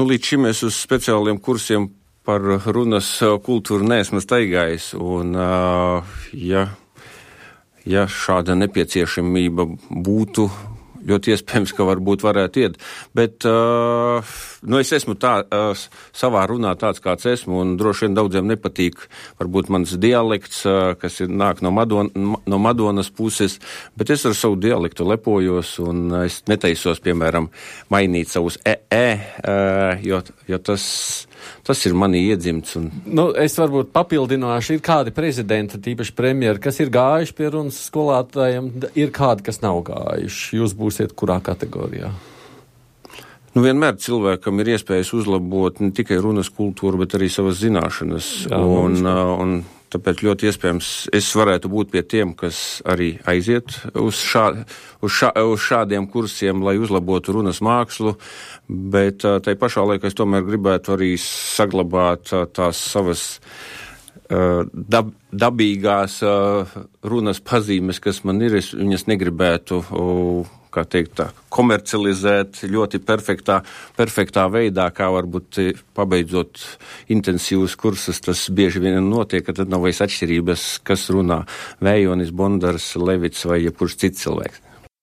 Līdz šim es uz speciāliem kursiem par runas kultūru neesmu staigājis, un ja šāda nepieciešamība būtu, ļoti iespējams, ka varētu iet, bet es esmu savā runā tāds, kāds esmu, un droši vien daudziem nepatīk varbūt mans dialekts, kas nāk no Madonas puses, bet es ar savu dialektu lepojos, un es netaisos, piemēram, mainīt savus jo tas ir manī iedzimts. Es varbūt papildināšu, ir kādi prezidenti, tīpaši premjeri, kas ir gājuši pie runas skolātājiem, ir kādi, kas nav gājuši. Jūs būsiet kurā kategorijā? Vienmēr cilvēkam ir iespējas uzlabot ne tikai runas kultūru, bet arī savas zināšanas. Un tāpēc ļoti iespējams es varētu būt pie tiem, kas arī aiziet uz šādiem kursiem, lai uzlabotu runas mākslu, bet tai pašā laikā es tomēr gribētu arī saglabāt tās savas dabīgās runas pazīmes, kas man ir. Es viņas negribētu komercializēt ļoti perfektā veidā, kā varbūt pabeidzot intensīvus kursus, tas bieži vien notiek, ka tad nav vairs atšķirības, kas runā Vējonis, Bondars, Levits vai jebkurš cits cilvēks.